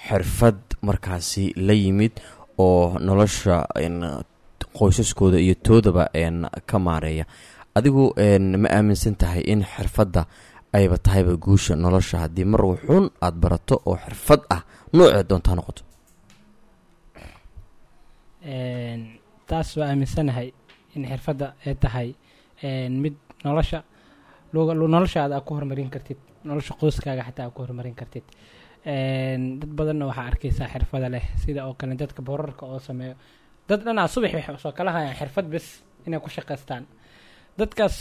Xirfad markaasi la yimid oo nolosha qoysaskooda iyo toodaba ka maareeya. Adigu ma aaminsan tahay in xirfadda ayba tahayba guusha nolosha, haddii mar wuxuun aada barato oo xirfad ah, noocee doonta ha noqoto? Taas waa aaminsanahay in xirfadda ay tahay mid nolosha noloshaada aad ku horumarin kartid, nolosha qoyskaaga xataa aad ku horumarin kartid. Dad badanna waxaa arkaysaa xirfada leh, sida oo kale dadka boorarka oo sameeyo. Dad dhanaa subax waxay soo kala hayaan xirfad bes inay ku shaqaystaan. Dadkaas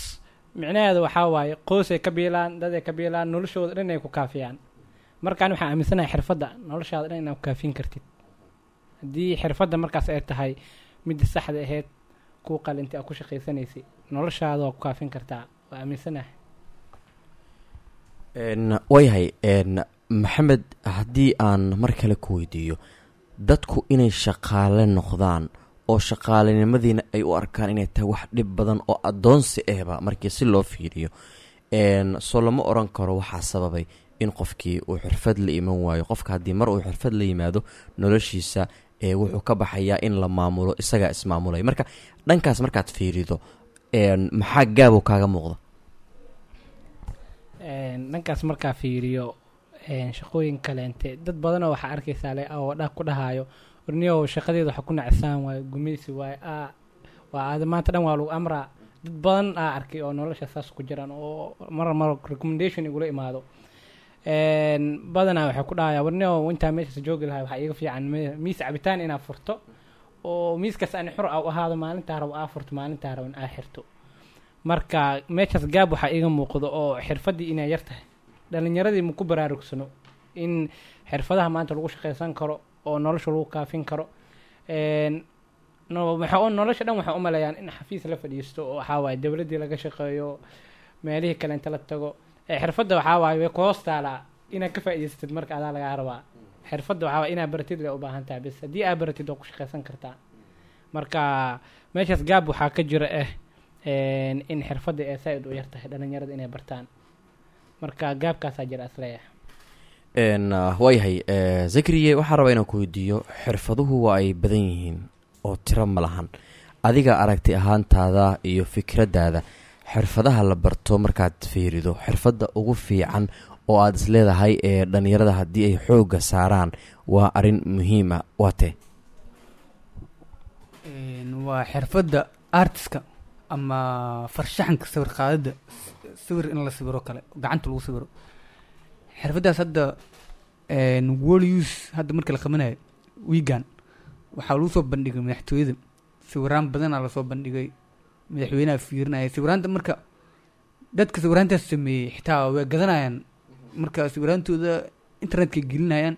micnaheedu waxaa waaye qoysay ka biilaan, dad ay ka biilaan, noloshooda dhan ay ku kaafiyaan. Markaan waxaan aaminsanahay xirfadda noloshaada dhan inaad ku kaafin kartid, haddii xirfadda markaas ay tahay midda saxda ahayd kuu qalintay aad ku shaqaysanaysay, noloshaada waa ku kaafin kartaa, waa aaminsanahay. Waayahay Maxamed, haddii aan mar kale ku weydiiyo, dadku inay shaqaale noqdaan oo shaqaalenimadiina ay u arkaan inay tahay wax dhib badan oo addoonsi ahba markii si loo fiiriyo, soo lama oran karo waxaa sababay in qofkii uu xirfad la iman waayo? Qofka haddii mar uu xirfad la yimaado, noloshiisa wuxuu ka baxayaa in la maamulo, isagaa ismaamulaya. Marka dhankaas markaad fiirido, maxaa gaabo kaaga muuqda? Dhankaas markaa fiiriyo, shaqooyin kaleente dad badanoo waxaa arkaysaa le oo dha ku dhahaayo, "Warniyow, shaqadeeda waxa ku nacsaan waayo gumaysi waayo, waa aada maanta dhan waa lagu amraa." Dad badan aa arkay oo nolosha saas ku jiraan oo mar mar recommendation igula imaado. Badanaa waxay ku dhahayaa, "Warniyow, intaa meeshaas joogi lahay waxaa iiga fiican miis cabitaan inaad furto oo miiskaas ani xur aa u ahaado, maalintaa rabo aa furto, maalintaa raban aa xirto." Marka meeshaas gaab waxaa iiga muuqdo oo xirfaddii inay yar tahay. Dhalinyaradii ma ku baraarugsano in xirfadaha maanta lagu shaqaysan karo oo nolosha lagu kaafin karo. Nolosha dhan waxay u maleeyaan in xafiis la fadhiisto oo waxaa waaye dowladdii laga shaqeeyo, meelihii kale inta la tago. Xirfadda waxaa waaye way ku hoos taalaa, inaad ka faa'iidaysatid marka adaa lagaa rabaa. Xirfadda waxaa waaye inaad baratid lay u baahan tahay bes. Haddii aad baratid, waa ku shaqaysan kartaa. Marka meeshaas gaab waxaa ka jira in xirfadda ay saa-id u yar tahay dhalinyarada inay bartaan. Marka gaabkaasaa jira isleeyahay. Waayahay Zakriye, waxaan rabaa inaan ku weydiiyo, xirfaduhu waa ay badan yihiin oo tiro ma lahan. Adiga aragti ahaantaada iyo fikraddaada, xirfadaha la barto markaad fiirido, xirfadda ugu fiican oo aada isleedahay ee dhalinyarada haddii ay xoogga saaraan waa arrin muhiima, waa tee? Waa xirfadda artiska ama farshaxanka, sawir qaadida, sawir in la sawiro kale, gacanta lagu sawiro. Xirfaddaas hadda world use hadda marka la qabanayo wiigan waxaa lagu soo bandhigay madaxtooyada. Sawiraan badanaa lasoo bandhigay, madaxweynaha fiirinaya sawiraanta. Marka dadka sawiraantaas sameeyey xitaa way gadanayaan. Marka sawiraantooda internetka gelinayaan,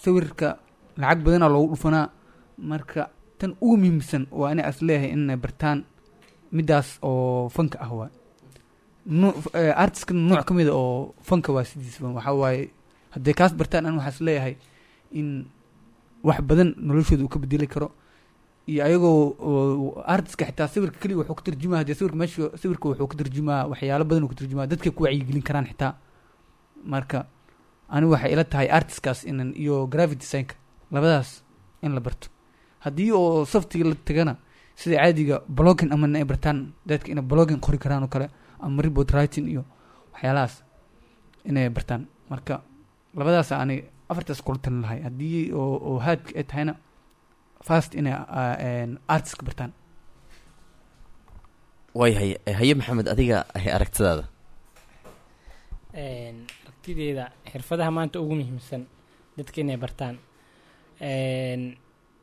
sawirka lacag badanaa loogu dhufanaa. Marka tan ugu muhiimsan waa inay as leeyahay inay bartaan midaas oo fanka ah. Waa artiska nooc ka mida oo fanka waa sidiisba. Waxaa waaye hadday kaas bartaan, an waxaa is leeyahay in wax badan noloshooda uu ka bedeli karo. Iyo ayagoo artiska xitaa sawirka keliya wuxuu ka tarjumaa, hadee sawirka meesha sawirka wuxuu ka tarjumaa waxyaalo badan uu ka tarjumaa, dadkay ku wacyigelin karaan xitaa. Marka anigu waxay ila tahay artiskaas inan iyo graphic designka, labadaas in la barto. Haddii oo softiga la tagana, sida caadiga blogging ama ay bartaan dadka inay blogging qori karaan oo kale, ama report writing iyo waxyaalahaas inay bartaan. Marka labadaas ani afartaas kula talin lahay. Haddii oo haadka ay tahayna, first inay artiska bartaan. Waayahay. Haye Maxamed, adiga aragtidaada? Aragtideeda, xirfadaha maanta ugu muhiimsan dadka inay bartaan,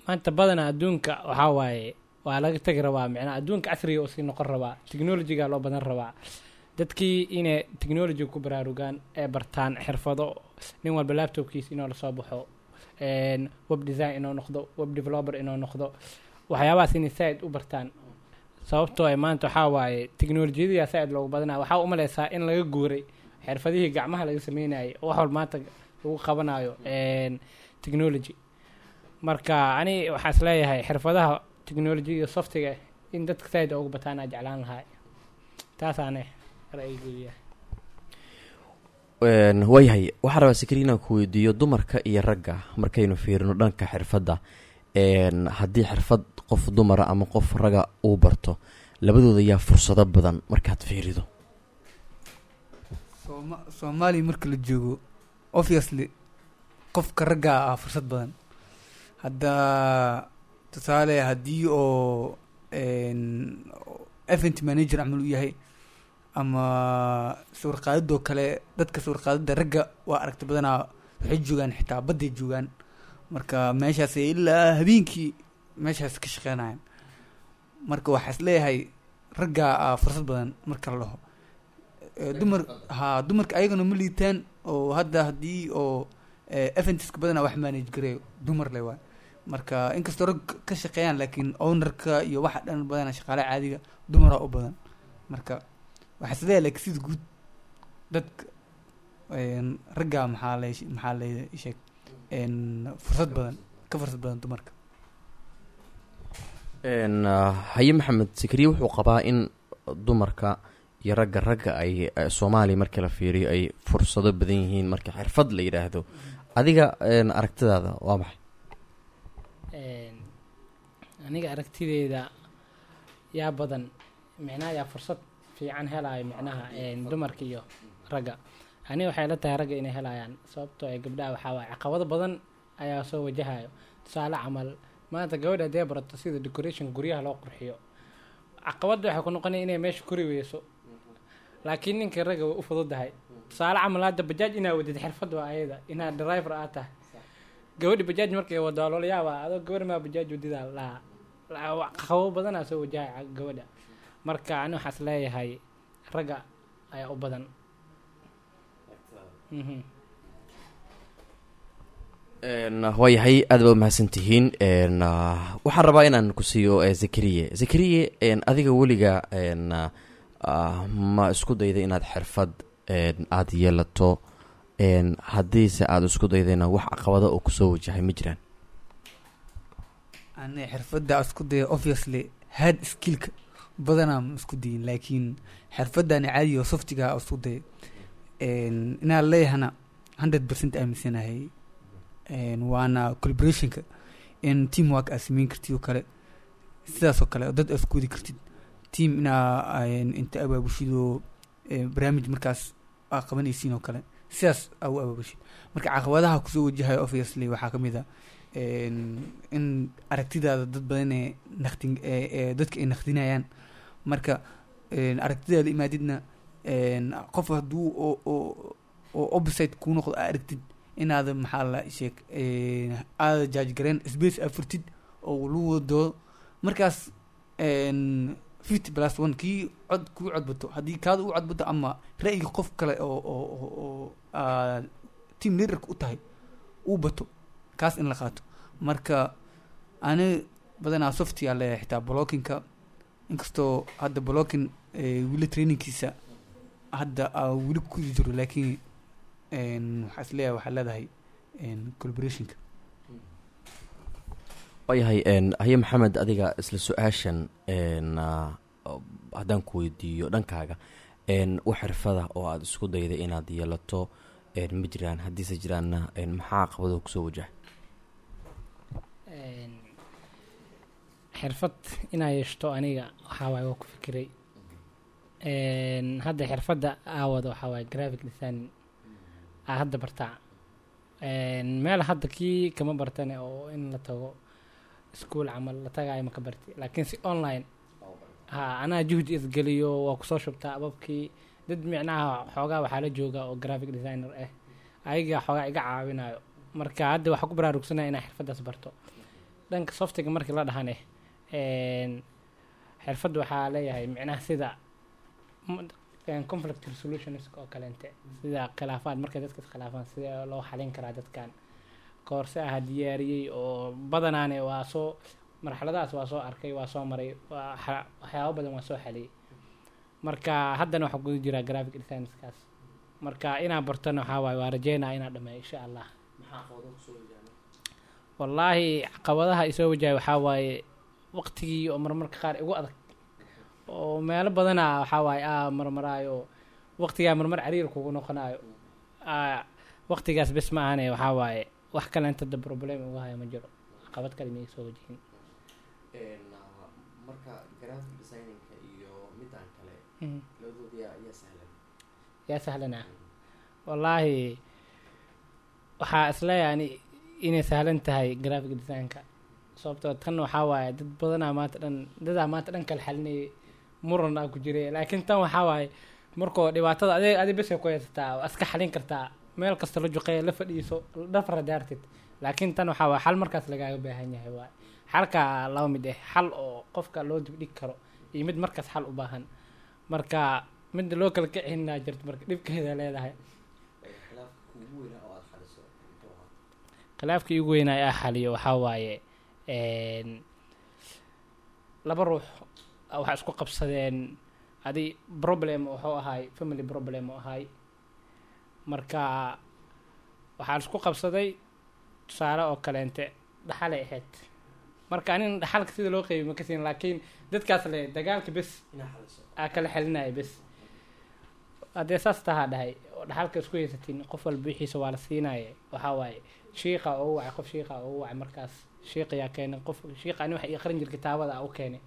maanta badanaa adduunka waxaa waaye waa laga tegi rabaa, micnaha adduunka casriga oo sii noqon rabaa, technologyga loo badan rabaa. Dadkii inay technology ku baraarugaan ee bartaan xirfado, nin walba laptopkiisa inuu lasoo baxo, web design inuu noqdo, web developer inuu noqdo, waxyaabahaas inay saa-id u bartaan. Sababtoo ay maanta waxaa waaye teknolojiyadiyaa saa-id loogu badanaya. Waxaa u maleysaa in laga guuray xirfadihii gacmaha laga sameynayay oo wax walba maanta lagu qabanayo technology. Marka ani waxaa is leeyahay xirfadaha technology iyo softiga in dadka saa-id ugu bataan aa jeclaan lahaa. Taasaane ra'yigeyga yahay. Waayahay, waxaan rabaa Sakri inaan ku weydiiyo dumarka iyo ragga markaynu fiirino dhanka xirfadda. Haddii xirfad qof dumara ama qof ragga uu barto, labadooda yaa fursado badan markaad fiirido? Soomaaliya marka la joogo, obviously qofka ragga ah fursad badan. Hadda tusaale, haddii oo event manager camal uu yahay ama sawir qaadidoo kale, dadka sawir qaadida ragga waa aragti badanaa, waxay joogaan xitaa badday joogaan, marka meeshaas ilaa habeenkii meeshaas ka shaqeynayaan. Marka waxaa is leeyahay ragga ah fursad badan marka la dhaho. Dumar ha, dumarka ayagana ma liitaan, oo hadda haddii oo eventska badanaa wax manage gareeyo dumar le waay. Marka inkastoo rag ka shaqeeyaan, laakiin ownerka iyo waxa dhan badanaa shaqaale caadiga dumaraa u badan. Marka waxaa is leeyahay, laakiin sida guud dadka ragga maxaa la sheeg fursad badan, ka fursad badan dumarka. Haye Maxamed, Sakriye wuxuu qabaa in dumarka iyo ragga ay Soomaaliya marka la fiiriyo ay fursado badan yihiin marka xirfad la yidhaahdo. Adiga aragtidaada waa maxay? Aniga aragtideeda, yaa badan micnaha, yaa fursad fiican helayo micnaha, dumarka iyo ragga, aniga waxay la tahay ragga inay helayaan, sababtoo ay gabdhaha waxaa waaye caqabado badan ayaa soo wajahayo. Tusaale camal, maanta gabadha haddee barato sida decoration guryaha loo qurxiyo, caqabadda waxay ku noqonaya inay meesha kori weyso, laakiin ninka ragga way u fududahay. Tusaale camal, hadda bajaaj inaa wadid xirfad waa ayada, inaad driver aad tahay. Gabadhi bajaaj markay wado waa loola yaabaa, adoo gabar maa bajaaj wadidaa lahaa. Caqabado badanaa soo wajahaya gabadha. Marka ani waxaas leeyahay ragga ayaa u badan. Waayahay, aad baa umahadsan tihiin. Waxaan rabaa inaan ku siiyo Zakariye. Zakariye, adiga weliga ma isku dayda inaad xirfad aada yeelato? Haddiise aada isku daydayna, wax caqabado oo kusoo wajahay ma jiraan? Ani xirfadda isku daya, obviously hard skillka badanaa ma isku dayin, laakiin xirfadani caadiga oo softiga isku daya inaan leeyahana 100% aaminsanahay. Waana collaborationka, in teamwork aad sameyn kartid oo kale, sidaas oo kale dad aad isku wadi kartid, team inaa inta abaabushido barnaamij markaas aa qabanaysiin oo kale, sidaas aa u abaabushid. Marka caqabadaha kusoo wajahayo obviously waxaa ka mid a in aragtidaada dad badan ee naqdin dadka ay naqdinayaan. Marka aragtidaada imaadidna, qof hadduu oo opposite kuu noqdo aa aragtid inaada maxaa la sheeg aada judge gareen, space aa furtid oo lagu wada doodo. Markaas 50+1 kii cod kuu codbato, haddii kaada u codbato ama ra'yiga qof kale oo aad team leaderka u tahay uu bato, kaas in la qaato. Marka ani badanaa softigaa leeyahay, xitaa bloggingka, inkastoo hadda blogging weli trainingkiisa hadda aa weli ku jiro, laakiin waxaa is leeyahay waxaa leedahay collaborationka. Waayahay. Haye Maxamed, adiga isla su-aashan haddaan ku weydiiyo dhankaaga, wax xirfada oo aada isku dayday inaad yeelato ma jiraan? Haddiise jiraanna, maxaa caqabado kusoo wajahay? Xirfad inaa yeeshto aniga waxaa waaye waa ku fikiray. Hadda xirfadda aa wado waxaa waaye graphic design aa hadda bartaa. Meel hadda kii kama bartane oo in la tago iskuul camal la tagaayo ma ka barti, laakiin si online ha anaa juhdi isgeliyo, waa kusoo shubtaa ababkii dad micnaha xoogaa waxaa la jooga oo graphic designer ah, ayaga xoogaa iga caawinayo. Marka hadda waxaa ku baraarugsanaya inaa xirfaddaas barto. Dhanka softiga markii la dhahane, xirfadda waxaa leeyahay micnaha sida conflict resolutions oo kaleente, sida khilaafaad markay dadka iskhilaafaan sida loo xalin karaa. Dadkan koorse aha diyaariyey oo badanaane waa soo marxaladahaas waa soo arkay, waa soo maray, waa waxyaabo badan waa soo xaliyey. Marka haddana waxaa guda jiraa graphic designskaas. Marka inaan bartana waxaa waaye waa rajeynaa inaan dhameeyo insha Allah. Wallaahi caqabadaha isoo wajahay waxaa waaye waqtigii oo marmarka qaar igu adag, oo meelo badanaa waxaa waaye aa marmaraayo, waqtigaa marmar cariir kugu noqonayo. Waqtigaas bes ma ahane, waxaa waaye wax kale inta da problem uga hayo ma jiro, caqabad kale ma iga soo wajihin. Marka graphic designinka iyo midaan kale, labadooda yaa sahlan? Yaa sahlanaa? Wallaahi waxaa isleeyahay ani inay sahlan tahay graphic designka, sababtoo tan waxaa waaye dad badanaa maanta dhan, dadaa maanta dhan kala xalinayay, muran aa ku jiray. Laakiin tan waxaa waaye markoo dhibaatada adi besay ku haysataa, waa iska xalin kartaa, meel kasta la juqeeya, la fadhiiso, dhafra daartid. Laakiin tan waxaa waaye xal markaas lagaaga baahan yahay. Waaye xalka laba mid ah: xal oo qofka loo dibdhigi karo iyo mid markaas xal u baahan. Marka midda loo kala kicinaa jirto, marka dhibkeeda leedahay. Khilaafka kuugu weynaa oo aad xaliso muxuu ahaa? Khilaafka iigu weynaa ee xaliyo waxaa waaye laba ruux waxaa isku qabsadeen adi problem, wuxuu ahaay family problem oo ahaay. Marka waxaa isku qabsaday tusaale oo kaleente dhaxalay ahayd. Marka anin dhaxalka sida loo qeybiy ma kasin, laakiin dadkaas le dagaalka bes Inaa xaliso. Aa kala xelinaya bes. Haddee saas tahaa dhahay oo dhaxalka isku haysatiin, qof walba wixiisa waa la siinaya. Waxaa waaye shiiqa ugu wacay, qof shiiqa ugu wacay. Markaas shiiqayaa keenay qof shiiqa, ani waxa ii qarin jir kitaabada aa u keenay.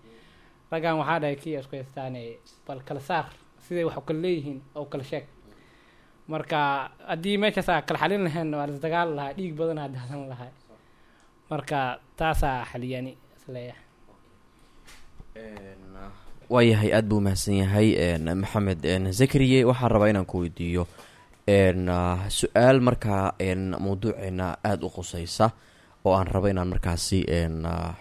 Raggan waxaa dhahay kiya isku haystaane, bal kala saar siday wax u kala leeyihiin oo kala sheeg. Marka haddii meeshaas aa kala xalin lahayn, waa lasdagaali lahaa, dhiig badan aa daadan lahaa. Marka taasaa xaliyani isleeyahay. Waayahay, aada buu mahadsan yahay Maxamed. Zakariye, waxaan rabaa inaan ku weydiiyo su-aal markaa mawduuceena aada u quseysa oo aan rabo inaan markaasi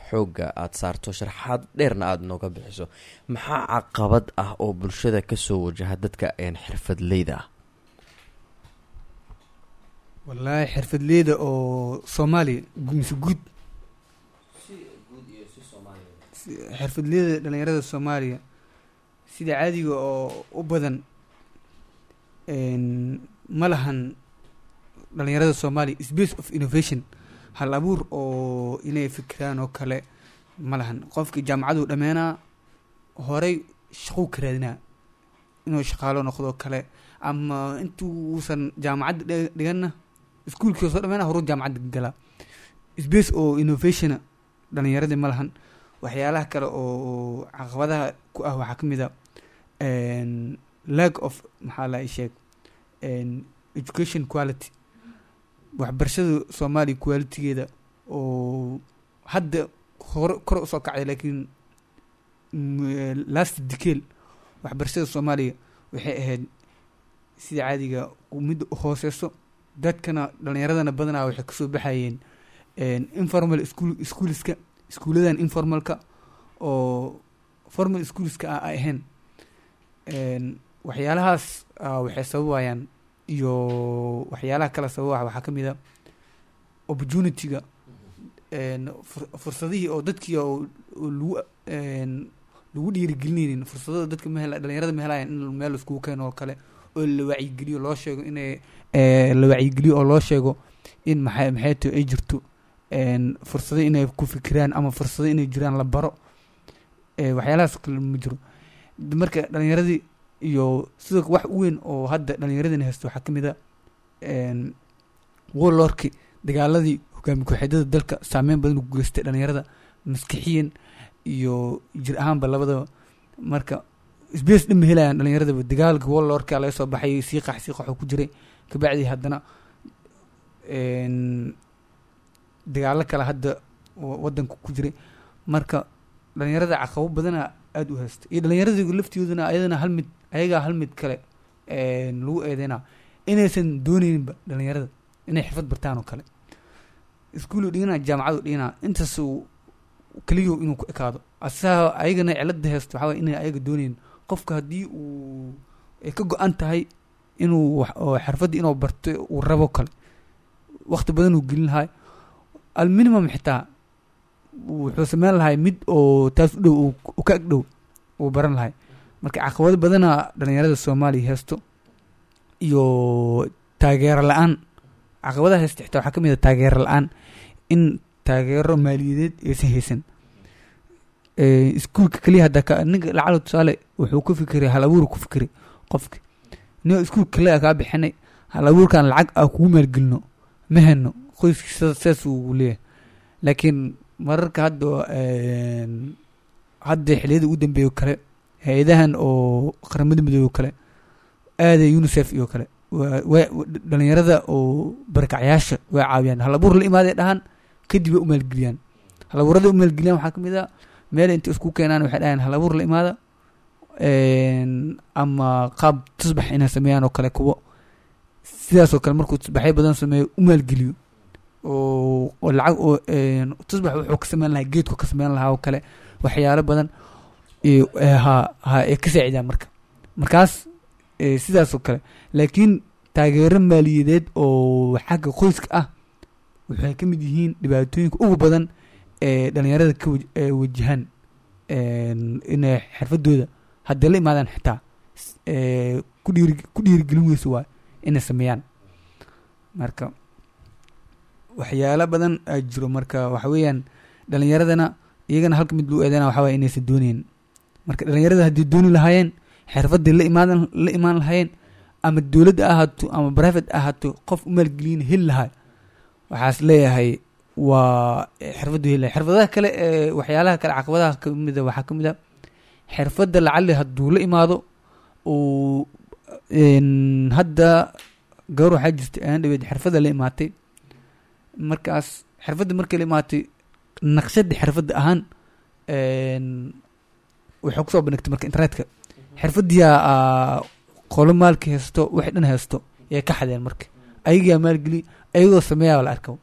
xoogga aada saarto, sharxaad dheerna aada nooga bixiso. Maxaa caqabad ah oo bulshada kasoo wajaha dadka xirfadleyda ah? Wallaahi xirfadleyda oo Soomaaliya mise guud? Xirfadleyda dhalinyarada Soomaaliya sida caadiga oo u badan ma lahan dhalinyarada Soomaaliya space of innovation, hal abuur oo inay fikiraan oo kale ma lahan. Qofkii jaamacaduu dhammeynaa, horey shaquu ka raadinaa, inuu shaqaalo noqdo kale, ama intuusan jaamacadda dhiganna iskuulkii soo dhammeynaa, horuu jaamacadda galaa. Space oo innovationa dhalinyaradii ma lahan. Waxyaalaha kale oo caqabadaha ku ah waxaa ka mid a lack of, maxaa la sheeg, education quality, waxbarashada Soomaaliya qualitygeeda oo hadda hore kor usoo kacday, laakiin last decade waxbarashada Soomaaliya waxay ahayd sida caadiga mid hooseyso. Dadkana dhalinyaradana badanaa waxay kasoo baxayeen informal school, schoolska, iskuuladan informalka oo formal schoolska ah ay ahayn. Waxyaalahaas waxay sababayaan iyo waxyaalaha kala sababa waxaa ka mid a opportunity-ga, fursadihii oo dadkii oo lagu lagu dhiirigelinaynin. Fursadada dadka ma hela, dhalinyarada ma helayaan in meel iskugu keeno oo kale oo la wacyigeliyo, loo sheego inay la wacyigeliyo oo loo sheego in maxay tahay ay jirto fursado inay ku fikiraan ama fursado inay jiraan la baro. Waxyaalahaas oo kale ma jiro. Marka dhalinyaradii iyo sidoo wax weyn oo hadda dhalinyaradina haysto waxaa ka mid a warlordki, dagaaladii hogaami ku-xidada dalka saameyn badan u geystay dhalinyarada maskixiyan iyo jir ahaanba labadaba. Marka space dhan ma helayaan dhalinyaradaba. Dagaalka warlordka laga soo baxay, sii qax sii qaxoo ku jiray, kabacdi haddana dagaalo kale hadda wadanka ku jiray. Marka dhalinyarada caqabo badana aada u haysta, iyo dhalinyaradii laftigoodana ayadana hal mid, ayagaa hal mid kale lagu eedeynaa inaysan dooneyninba dhalinyarada inay xirfad bartaan oo kale. Iskuulu dhiganaa, jaamacadu dhiganaa, intaas uu keliyo inuu ku ekaado asaga. Ayagana cilada haysto waxaa waye inay ayaga dooneynin. Qofka haddii uu ay ka go-an tahay inuu oo xirfadda inuu barto uu rabo kale, waqti badan uu gelin lahay, alminimum xitaa wuxuu sameyn lahay mid oo taas u dhow, uu ka ag dhow uu baran lahay. Marka caqabado badana dhalinyarada Soomaaliya haysto iyo taageero la-aan. Caqabadaha haysta xitaa waxaa ka mid ah taageero la-aan, in taageero maaliyadeed aysan haysan. Iskuulka keliya hadda ka ninka lacala tusaale wuxuu ku fikiray hal abuur ku fikiray qofka nin iskuulka kaliya kaa bixinay. Hal abuurkan lacag aa kugu maalgelino ma heno, qoyskiisa saas uu leeyahay. Laakiin mararka hadda hadda xilliyada ugu dambeeya oo kale, hay-adahan oo Qaramada Midoobey oo kale, aaday UNICEF iyo kale, dhalinyarada oo barakacyaasha way caawiyaan. Hal abuur la imaaday dhahaan, kadib way u maalgeliyaan. Hal abuurada u maalgeliyaan waxaa kamid ah meel intay isku keenaan waxay dhahaan hal abuur la imaada, ama qaab tusbax inay sameeyaan oo kale, kuwo sidaas oo kale markuu tusbaxyo badan sameeyo u maalgeliyo oo lacag oo tusbax wuxuu ka sameyn lahaa, geedku ka sameyn lahaa oo kale, waxyaalo badan iyo ha ay ka saacidaan. Marka markaas sidaas oo kale. Laakiin taageero maaliyadeed oo xagga qoyska ah waxay ka mid yihiin dhibaatooyinka ugu badan ee dhalinyarada ka wajahaan inay xirfadooda hadday la imaadaan xitaa ku dhiirigelin weyso waay inay sameeyaan. Marka waxyaalo badan aa jiro. Marka waxa weeyaan dhalinyaradana iyagana halka mid lagu eedeyna waxa waye inaysan dooneyn. Marka dhalinyarada haddii dooni lahaayeen xirfadii la imaan lahaayeen, ama dowladda ahaato ama private ahaato, qof u maalgeliyin heli lahaa, waxaas leeyahay waa xirfadu heli lahay. Xirfadaha kale ee waxyaalaha kale caqabadaha kamida waxaa kamid a xirfadda lacali hadduu la imaado uu hadda gabar waxaa jirta aan dhaweyd xirfadda la imaatay. Markaas xirfadda markay la imaatay, naqshadda xirfadda ahaan waxay kusoo bandhigtay marka internetka. Xirfaddiyaa qolo maalka haysto, waxay dhan haysto yay ka xadeen. Marka ayagaa maalgeli, ayagoo sameeyaa la arko.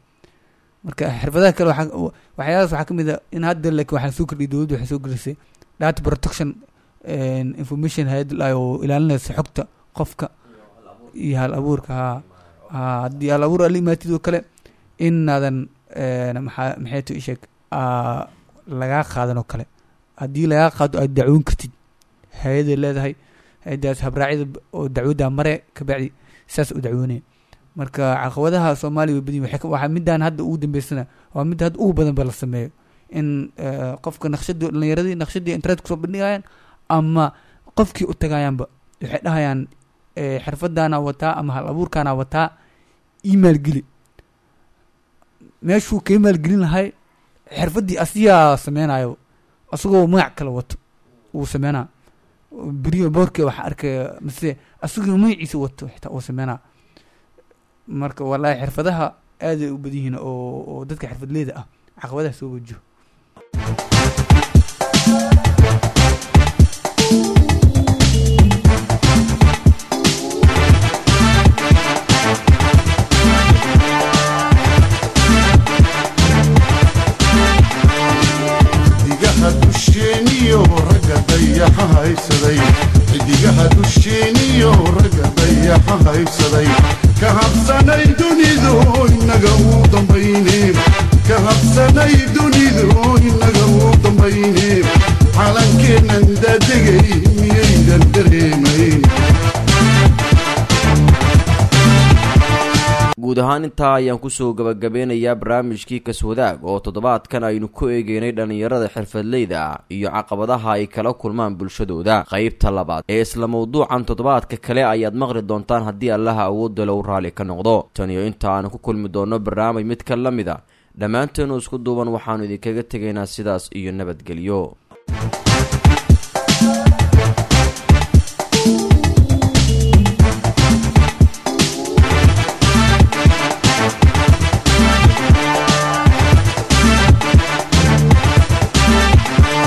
Marka xirfadaha kale waxyaalahaas waxaa kamid a in hadda laakiin waxaa soo kordhiyay dowladda, waxay soo kordhisay data protection information, hay'ad oo ilaalinaysa xogta qofka iyo hal abuurka. Ha haddii hal abuur aad la imaatid oo kale inaadan maxaa maxay to isheeg lagaa qaadan oo kale, haddii lagaa qaado aad dacwoon kartid, hay-aday leedahay hay-adaas habraacyada oo dacwaddaa mare, kabacdi saas u dacwoonaya. Marka caqabadaha Soomaaliya way badan yihiin. Waxaa midaan hadda ugu dambeysana waa midda hadda ugu badan ba la sameeyo in qofka naqshadii, dhalinyaradii naqshadii internet kusoo bandhigayaan ama qofkii u tagayaanba waxay dhahayaan xirfadaana wataa ama hal abuurkaana wataa, ii maalgeli. Meeshuu kaga maalgelin lahay xirfaddii asigaa sameynayo, asagoo magac kale wato uu sameynaa beriyo boorke waxaa arkaya, mise asagoo magaciisa wato xitaa uu sameynaa. Marka wallaahi xirfadaha aaday u badan yihiin oo dadka xirfadleyda ah caqabadaha soo wajaho. Xidigaha dusheeniyo ragga dayaxa haysaday, xidigaha dusheeniyo ragga dayaxa haysaday, ka habsanay dunidu inaga u dambayne, ka habsanay dunidu inaga u dambayne, calankeennan daadegay miyaydan dareemayn? Guud ahaan intaa ayaan kusoo gabagabeynayaa barnaamijkii Kaswadaag oo toddobaadkan aynu ku eegeynay dhallinyarada xirfadleyda ah iyo caqabadaha ay kala kulmaan bulshadooda. Qaybta labaad ee isla mawduucan toddobaadka kale ayaad maqli doontaan haddii Allaha awoodda low raalli ka noqdo. Tan iyo inta aanu ku kulmi doonno barnaamij mid ka la mid a, dhammaanteenu isku duuban waxaanu idinkaga tegaynaa sidaas iyo nabadgelyo.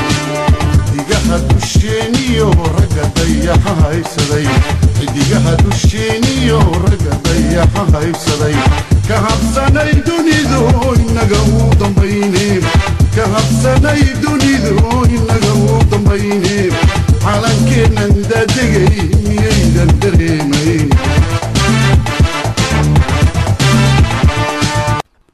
Xidigaha dusheeniyo ragga dayaxa haysaday, xidigaha dusheeniyo ragga dayaxa haysaday, ka habsanay dunidu inaga u dambayne, ka habsanay dunidu inaga u dambayne, calankeennan daadegay miyaydan dareemayn?